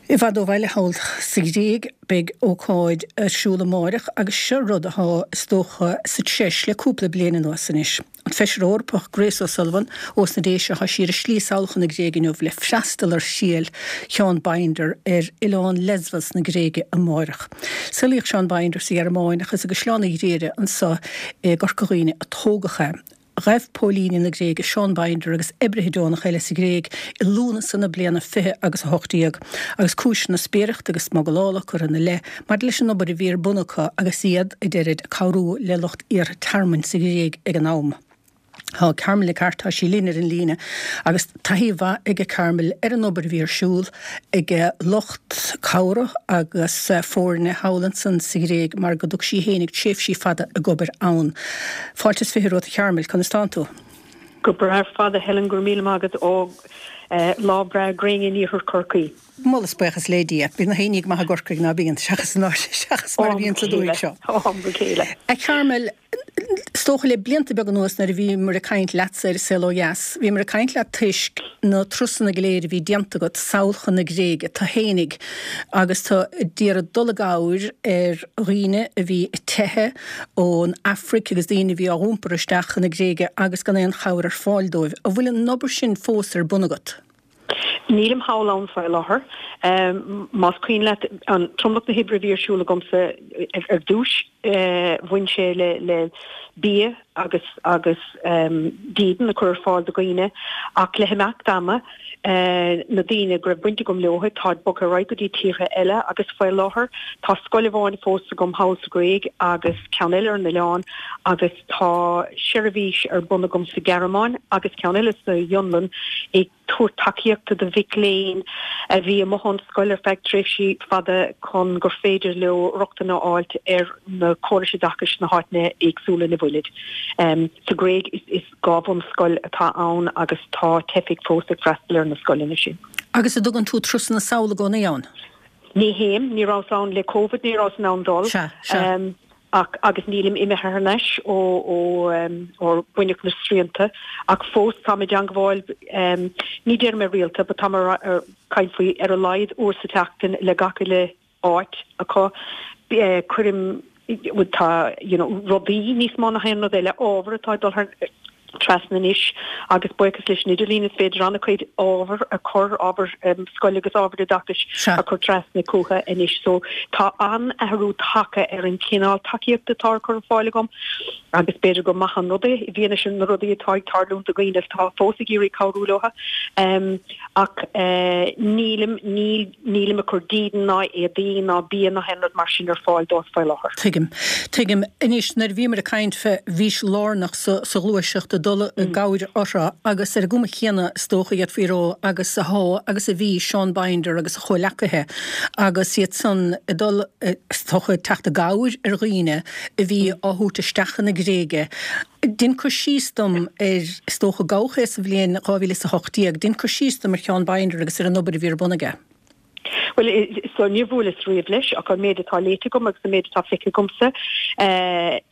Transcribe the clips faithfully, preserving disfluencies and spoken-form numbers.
I bhfad ó bhaile thall sa Ghréig beidh ócáid ar siúl amárach agus seo rud atá is dócha sa treis le cúpla bliain anuas anois. An Feisire Eorpach Grace O'Sullivan ós na Déise tá sí ar a slí sall chun na Gréige inniu le freastal ar thriail Sheán Binder ar oileán Lesbos na Gréige amárach. Saolaíodh Seán Binder sa Ghearmáin ach is i gCaisleán Uí Ghriaire anseo i gCorca Dhuibhne a tógadh é. Ghabh póilíní na Gréige Seán Binder agus oibrithe deonacha eile sa Ghréig i Lúnasa na bliana fiche agus a hocht déag, agus cúiseanna spiaireachta agus smugalála curtha ina leith maidir leis an obair a bhí ar bun acu agus iad, a deirid, ag cabhrú le lucht iarrtha tearmainn sa Ghréig ag an am. Tá Carmel Nic Airt, tá sí linn ar an líne agus taithí mhaith ag Carmel ar an obair a bhí ar siúl ag lucht cabhrach agus foirne thall ansan sa Ghréig mar go dtug sí fhéinig tréimhsí fada ag obair ann. Fáilte is fiche romhat a Charmel, conas tánn tú? Go breá ar fad a Helen, go raibh míle maith agat ó lá breá gréine in iarthar Chorcaí. Moladh is buíochas le Dia. Bíonn na haoinní go maith i gCorcaigh ná bíonn, seachas an áit, seachas mar a bhíonn sa dúthaigh seo. Ó am go chéile. A Charmel, is dócha le blianta beaga anuas nuair a bhíomar ag caint leatsa ar An Saol Ó Dheas, bhíomar ag caint leat toisc na turasanna go léir a bhí déanta agat sall chun na Gréige, tú fhéinig, agus tú ag iarraidh dul i gcabhair ar dhaoine a bhí ag teitheadh ón Afraic agus daoine a bhí á n-iompar isteach chun na Gréige agus gan aon chabhair ar fáil dóibh. An bhfuil an obair sin fós ar bun agat? Nílim thall ann faoi láthair. Más cuimhin leat, an tromlach na hoibre a bhí ar siúl agamsa ar dtús, bhain sé le bia agus agus dídean a chur ar fáil do dhaoine ach le himeacht ama, na daoine go raibh baint agam leo, táid bogtha ar aghaidh go dtí tíortha eile agus faoi láthair tá scoil amháin fós agam thall sa Ghréig agus ceann eile ar an oileán agus tá seirbhís ar bun agam sa Ghearmáin agus ceann eile sa Fhionlainn ag tabhairt tacaíochta do mhic léinn a bhí amuigh ón scoil ar feadh tréimhsí fada chun gur féidir leo rochtain a fháilt ar na córais oideachais sna háiteanna éagsúla ina bhfuilid. Sa Ghréig is dhá bhunscoil atá ann agus tá teifigh fós ag freastal ar na scoileanna sin. Agus an dtugann tú turasanna sall i gcónaí ann? Ní théim, ní rabhas ann le Covid, ní rabhas in ann dul. Sea, sea. Ach, agus nílim imithe thar n-ais ó ó ó baineadh na srianta, ach fós táim i dteangmháil, ní déarfaidh mé rialta, but táim ag caint faoi ar a laghad uair sa tseachtain le gach uile áit acu. Cuirim, tá, you know, rudaí níos mó ná haon rud eile, ábhar atá ag dul thar, trasna anois agus buíochas leis an idirlíon is féidir an-chuid ábhar a chur, ábhar scoile agus ábhar oideachais a chur trasna chucu anois. So tá an-athrú tagtha ar an chineál tacaíochta atá á cur ar fáil agam agus b'fhéidir gur maith an rud é i bhfianaise na rudaí atá ag tarlúint do dhaoine atá fós ag iarraidh cabhrú leo. Ach nílim, níl, Nílim ag cur dídean ná éadaí ná bia ná haon rud mar sin ar fáil dóibh faoi láthair. Tuigim. Tuigim. Anois, nuair a bhíomar ag caint fé, bhís lárnach sa, sa ghluaiseacht ag dul i gcabhair orthu agus ar an gcuma chéanna is dócha d'fhéadfaí a rá agus athá agus a bhí Seán Binder agus a chomhleacaithe agus iad san ag dul, is dócha, ag teacht i gcabhair ar dhaoine a bhí á thabhairt isteach chun na Gréige. Dein cur síos dom ar, is dócha, gabhadh é sa bhliain dhá mhíle is a hocht déag, dein cur síos dom ar Sheán Binder agus ar an obair a bhí ar bun aige. Bhuel, so níor bhuaileas riamh leis ach an méid atá léite agam agus an méid atá feicthe agamsa,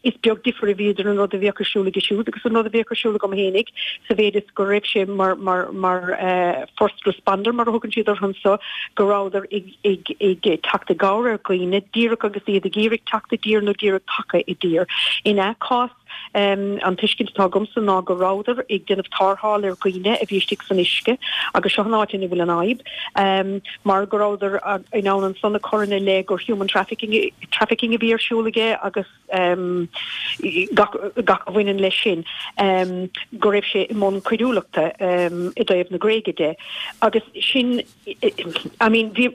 is beag difear a bhí idir an rud a bhíodh ar siúl aige siúd agus an rud a bhíodh ar siúl agam fhéinig, sa mhéid is go raibh sé mar, mar, mar first responder, mar a thugann siad orthu anso, go rabhadar ag, ag, ag teacht i gcabhair ar dhaoine díreach agus iad ag iarraidh teacht i dtír nó díreach tagtha i dtír. Ina cás, an tuiscint atá agamsa ná go rabhadar ag déanamh tarrtháil ar dhaoine a bhí istigh san uisce agus seo an áit ina bhfuil an fhadhb, mar go rabhadar in ann ansan a chur ina leith gur human trafficking, trafficking a bhí ar siúl aige agus gach, gach a bhaineann leis sin, go raibh sé i mbun coiriúlachta i dtaobh na Gréige de agus sin I mean, bhí,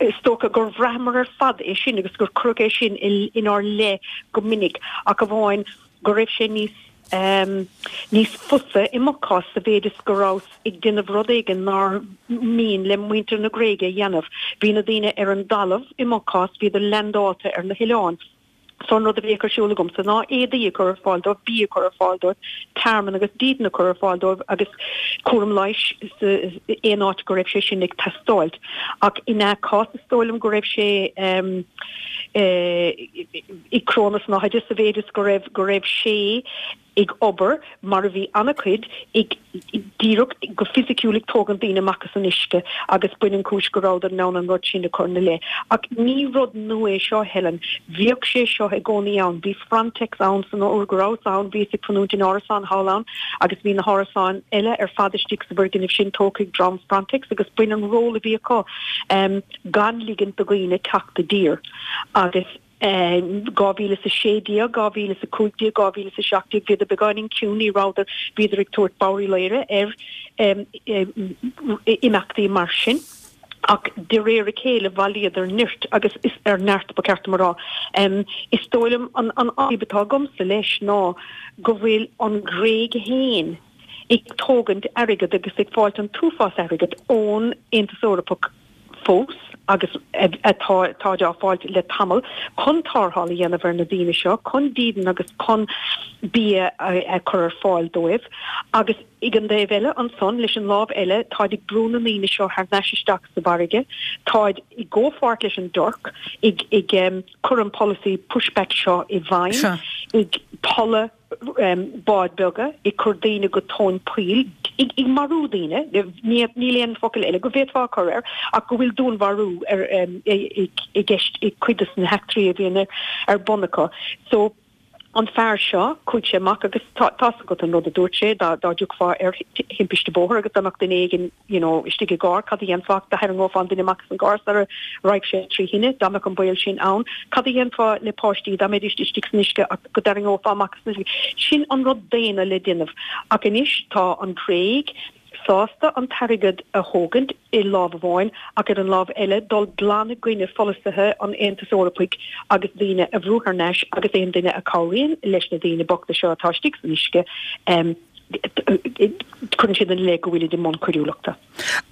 is dócha gur bhraitheamar ar fad é sin agus gur cuireadh é sin inár leith go minic ach amháin go raibh sé níos, níos fusa i mo chás sa mhéid is go rabhas ag déanamh rud éigin nár mhian le muintir na Gréige a dhéanamh. Bhí na daoine ar an dtalamh i mo chás, bhíodar leaindeálta ar na hoileáin. So an rud a bhíodh ar siúl agamsa ná éadaí a chur ar fáil dóibh, bia a chur ar fáil dóibh, tearmann agus dídean a chur ar fáil dóibh agus cúram leighis aon áit go raibh sé sin ag teastáilt. Ach ina chás is dóigh liom go raibh sé ag cró na snáthaide sa mhéid is go raibh go raibh sé ag obair mar a bhí an-chuid ag díreach go fisiciúil ag tógaint daoine amach as an uisce agus b'in an chúis go rabhadar in ann an rud sin a chur ina leith. Ach ní rud nua é seo, Helen. Bhíodh sé seo i gcónaí ann. Bhí Frontex ann san uair go rabhas ann, bhíos ag fanúint in árasán thall ann agus bhí na hárasáin eile ar fad istigh sa bhfoirgneamh sin tógtha ag dream Frontex agus b'in an ról a bhí acu gan ligint do dhaoine teacht i dtír. Agus dhá mhíle is a sé déag, dhá mhíle is a cúig déag, dhá mhíle is a seacht déag, bhíodar beagáinín ciúin, ní rabhadar, bhíodar ag tabhairt bodhraí laoire ar imeachtaí mar sin. Ach de réir a chéile bhailíodar nirt agus is ar neart ba cheart dom a rá. Is dóigh liom an an fhadhb atá agamsa leis ná go bhfuil an Ghréig féin ag tógaint airgead agus ag fáilt an t-uafás airgead ón Aontas Eorpach fós agus atá táid á fáilt le tamall chun tarrtháil a dhéanamh ar na daoine seo, chun dídean agus chun bia a chur ar fáil dóibh. Agus ag an dtaobh eile ansan, leis an lámh eile, táid ag brú na ndaoine seo thar n-ais isteach sa bhfarraige, táid i gcomhpháirt leis an dTuirc ag ag cur an polasaí pushback seo i bhfeidhm, ag tolladh báid beaga, ag cur daoine go tóin poill, ag marú daoine, níl aon focal eile go bhféadfá a chur air, ach go bhfuil dúnmharú i gceist i cuid de na heachtraí a bhíonn ar bun acu. So, an fear seo, chuaigh sé amach agus tá's agat an rud a dúirt sé, dá dtiocfá ar thimpiste bóthair agus dá mbeadh duine éigin you know, istigh i gcarr, cad a dhéanfá? Do tharraingeofá an duine amach as an gcarr sara raghadh sé trí thine, dá mbeadh an baol sin ann. Cad a dhéanfá le páistí dá mbeidís istigh san uisce ach go dtarraingeofá amach as an uisce? Sin an rud daonna le déanamh. Ach anois tá an Ghréig sásta an t-airgead a thógaint i lámh amháin ach ar an lámh eile dul glan i gcoinne pholasaithe an Aontais Eorpaigh agus daoine a bhrú thar n-ais agus aon duine a chabhraíonn leis na daoine bochta seo atá istigh san uisce cuireann siad ina leith go bhfuilid i mbun coiriúlachta.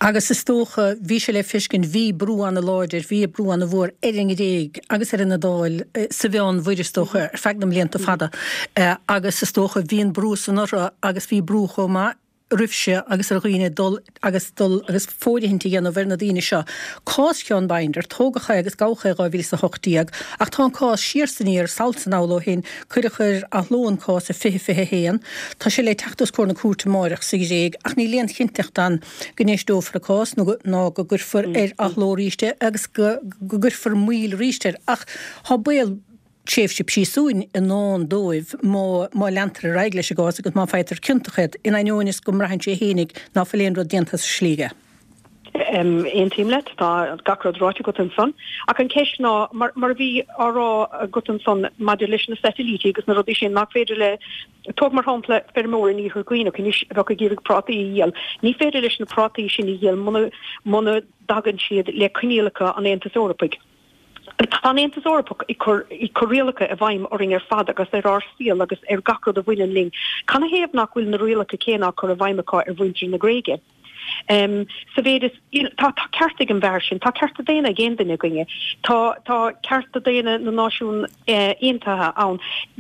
Agus is dócha, bhí sé le feiscint, bhí brú ana-láidir, bhí brú ana-mhór ar an nGréig agus ar an Iodáil sa Mheánmhuir is dócha ar feadh na mblianta fada agus is dócha bhí an brú san orthu agus bhí brú chomh maith oraibhse agus ar dhaoine dul agus dul agus fóirithint a dhéanamh ar na daoine seo. Cás Sheán Binder, tógadh é agus gabhadh é i dhá mhíle is a hocht déag ach tá an cás siar 's aniar, sall 's anall ó shin, cuireadh ar athló an cás i fiche fiche a haon. Tá sé le teacht os comhair na cúirte amáireach sa Ghréig ach níl aon chinnteacht ann go n-éisteofar a cás nó ná go gcuirfear ar athló arís é agus go gcuirfear moill arís air ach tá baol tréimhse príosúin i ndán dóibh má má leantar ar aghaidh leis an gcás agus má faightear ciontach iad, in ainneoin is go mbraitheann sé fhéinig ná fuil aon rud déanta as a shlí aige. Aontaím leat, tá gach rud ráite agat ansan. Ach an cheist ná, mar mar a bhí á rá agat ansan maidir leis na satailítí agus na rudaí sin, nach féidir le, tóg mar shampla feirmeoir in Iarthar Dhuibhneach anois a bheadh ag iarraidh prátaí a dhíol, ní féidir leis na prátaí sin a dhíol muna muna dtagann siad le coinníollacha an Aontais Eorpaigh. Tá an Aontas Eorpach ag cur ag cur rialacha i bhfeidhm orainn ar fad agus ar ár saol agus ar gach rud a bhaineann linn. Canathaobh nach bhfuil na rialacha céanna á cur i bhfeidhm acu ar mhuintir na Gréige? Sa mhéid is, you know, tá tá cearta ag an bhfear sin, tá cearta daonna ag aon duine againne, tá tá cearta daonna na Náisiún Aontaithe ann.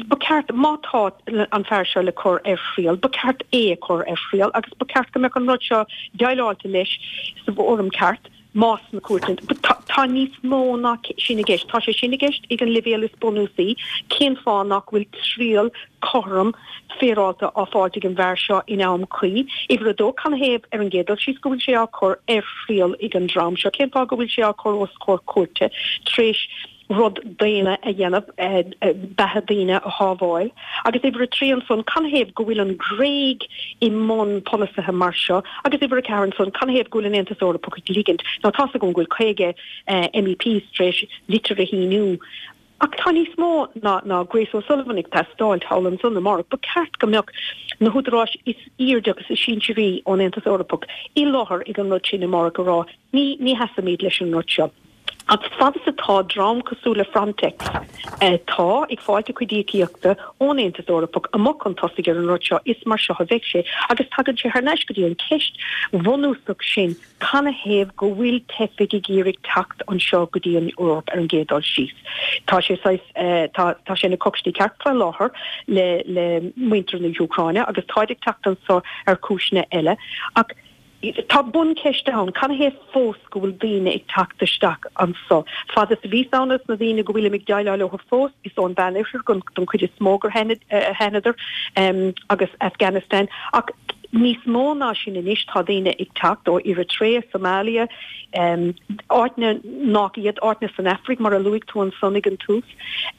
Ba cheart, má tá an fear seo le cur ar thriail, ba cheart é a chur ar thriail agus ba cheart go mbeadh an rud seo déileáilte leis sa bhfóram ceart. más sna cúirteanna. Tá níos mó ná sin i gceist. Tá sé sin i gceist ag an leibhéal is bunúsaí, cén fáth nach bhfuil triail cothrom féaráilte á fáilt ag an bhfear seo in am cuí? Uimhir a dó, canathaobh ar an gcéad dul síos go bhfuil sé á chur ar thriail ag an dream seo? Cén fáth go bhfuil sé á chur os comhair cúirte tar éis rud daonna a dhéanamh, beatha daoine a shábháil. Agus uimhir a trí ansan, canathaobh go bhfuil an Ghréig i mbun polasaithe mar seo? Agus uimhir a ceathair ansan, canathaobh go bhfuil an Aontas Eorpach ag ligint? Now tá's agam go bhfuil caoga MEPs tar éis litir a shíniú, ach tá níos mó ná ná Grace O'Sullivan ag teastáil thall ansan amárach. Ba cheart go mbeadh na húdaráis is airde agus is sinsearaí ón Aontas Eorpach i láthair ag an rud sin amárach a rá, ní ní sheasaimid leis an rud seo. Ach fad is atá dream cosúil le Frontex, atá ag fáilt a cuid íocaíochta ón Aontas Eorpach, amuigh chun tosaigh ar an rud seo, is mar seo a bheidh sé. Agus tagann sé thar n-ais go dtí an cheist bhunúsach sin, canathaobh go bhfuil teifigh ag iarraidh teacht anseo go dtí an Eoraip ar an gcéad dul síos? Tá sé saghas, tá, tá sé ina coicstí ceart faoi láthair le, le muintir na hÚcráine agus táid ag teacht anseo ar chúiseanna eile. Ach Tá buncheist ann, canathaobh fós go bhfuil daoine ag teacht isteach anso? Fad is a bhíos ann is na daoine go bhfuilim ag déileáil leo fós, is ón Mheánoirthear don chuid is mó gur thánadar agus Afghanistan. Ach níos mó ná sin anois tá daoine ag teacht ó Eritrea, Somalia, áiteanna nach iad, áiteanna san Afraic mar a luaigh tú ansan ag an tús.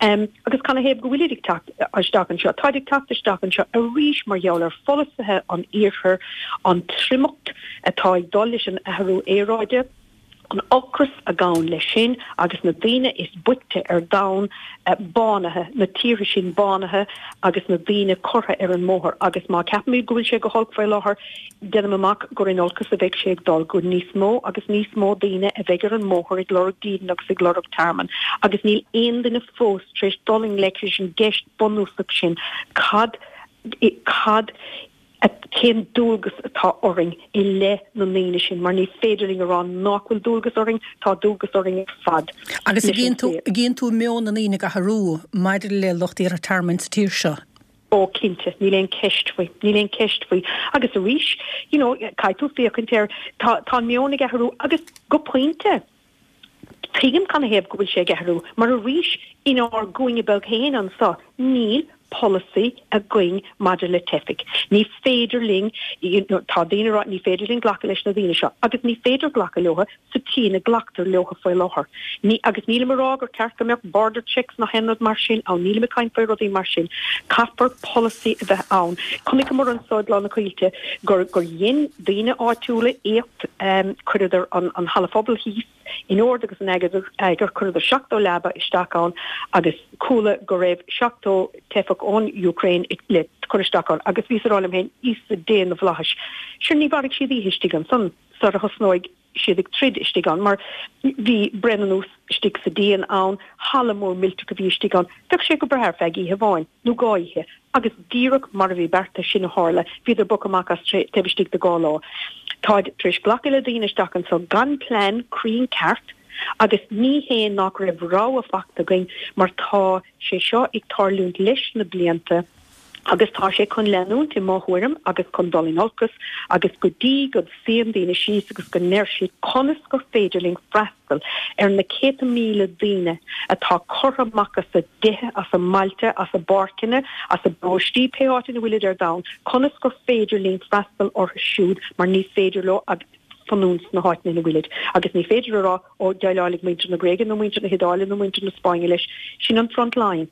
Agus canathaobh go bhfuilid ag teacht isteach anseo? Táid ag teacht isteach anseo arís mar gheall ar pholasaithe an Iarthair, an triomacht atá ag dul leis an athrú aeráide, an ocras a ghabhann leis sin agus na daoine is boichte ar domhan bánaithe, na tíortha sin bánaithe agus na daoine curtha ar an mbóthar. Agus má ceapaimid go bhfuil sé go holc faoi láthair, déanaim amach gur in olcas a bheidh sé ag dul, gur níos mó agus níos mó daoine a bheidh ar an mbóthar ag lorg dídean agus ag lorg tearmann. Agus níl aon duine fós tar éis dul i ngleic leis an gceist bunúsach sin, cad, cad, cén dualgas atá orainn i leith na ndaoine sin, mar ní féidir linn a rá nach bhfuil dualgas orainn, tá dualgas orainn ar fad. Agus an gcíonn tú meon na ndaoine ag athrú maidir le lucht iarrtha tearmainn sa tír seo? Ó cinnte, níl aon cheist faoi, níl aon cheist faoi. Agus arís, you know, caithfidh tú féachaint air, tá, tá an meon ag athrú agus go pointe, tuigim canathaobh go bhfuil sé ag athrú, mar arís, inár gcúinne beag féin anso, níl polasaí againn maidir le teifigh. Ní féidir linn, tá daoine ag rá, ní féidir linn glacadh leis na daoine seo, agus ní féidir glacadh leo sa tslí ina nglactar leo faoi láthair. Ní, agus nílim ag rá gur ceart go mbeadh border checks ná haon rud mar sin ann, nílim ag caint faoi rudaí mar sin. Caithfear polasaí a bheith ann. Chonaiceamar anso i gCloich na Coillte gur, gur dhein daoine áitiúla éacht, chuireadar an, an halla phobail thíos, in ord agus in eagar, chuireadar seachtó leaba isteach ann agus chuala go raibh seachtó teifeach ón Ukraine le cur isteach ann agus bhíos ag rá liom féin, Íosa Dé na bhFlaitheas, sure ní mhairfidh siad oíche istigh ansan sara thosnóidh siad ag troid istigh ann mar bhí braon anuas istigh sa díon ann, halla mór millteach a bhí istigh ann, bheadh sé go breá ar feadh oíche amháin nó dhá oíche agus díreach mar a bhí beartaithe sin a tharla, bhíodar bogtha amach as taobh istigh de dhá lá. Táid tar éis glacadh le daoine isteach anso gan plean cruinn ceart agus ní hé nach raibh rogha fachta againn mar tá sé seo ag tarlúint leis na blianta agus tá sé chun leanúint i mo thuairim agus chun dul in olcas agus go dtí go suíonn daoine síos agus go ndeir siad conas gur féidir linn freastal ar na céadta míle daoine atá curtha amach as a dtithe, as a mbailte, as a bpáirceanna, as a bparóistí, pé áit ina bhfuilid ar domhan, conas gur féidir linn freastal orthu siúd mar ní féidir leo fanúint sna háiteanna ina bhfuilid. Agus ní féidir a rá, ó, déileálfaidh muintir na Gréige nó muintir na hIodáile nó muintir na Spáinne leis. Sin an front line.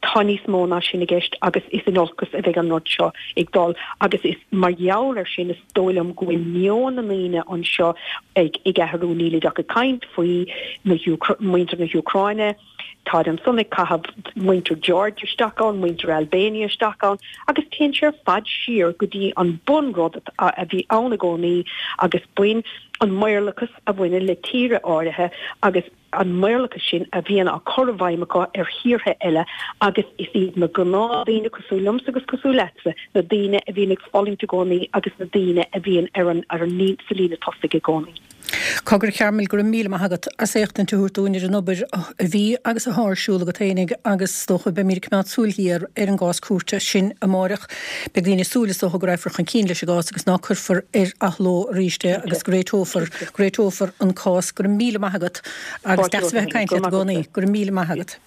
Tá níos mó ná sin i gceist agus is in olcas a bheidh an rud seo ag dul agus is mar gheall air sin is dóigh liom go bhfuil meon na ndaoine anseo ag ag athrú. Nílid ach ag caint faoi na muintir na hÚcráine, táid ansan ag caitheamh muintir Georgia isteach ann, muintir Albania isteach ann agus téann sé ar fad siar go dtí an bunrud a bhí ann i gcónaí agus b'in an maorlachas a bhaineann le tíortha áirithe agus an maorlachas sin a bhíonn á chur i bhfeidhm acu ar thíortha eile agus is iad na gnáthdhaoine cosúil liomsa agus cosúil leatsa na daoine a bhíonn ag fulaingt i gcónaí agus na daoine a bhíonn ar an ar an sa líne tosaigh i gcónaí. Cogar, a Chearmail, go raibh míle maith agat as éachtaint a thabhairt dúinn ar an obair a bhí agus atá ar siúl agat fhéinig agus is dócha beimid ag coimeád súil ghéar ar an gcás cúirte sin amáireach. Beidh daoine ag súil is dócha go raghfar chun cinn leis an gcás agus ná cuirfear ar athló arís é agus go réiteofar, go réiteofar an cás. Go raibh míle maith agat agus deas a bheith ag caint leat i gcónaí. Go raibh míle maith agat.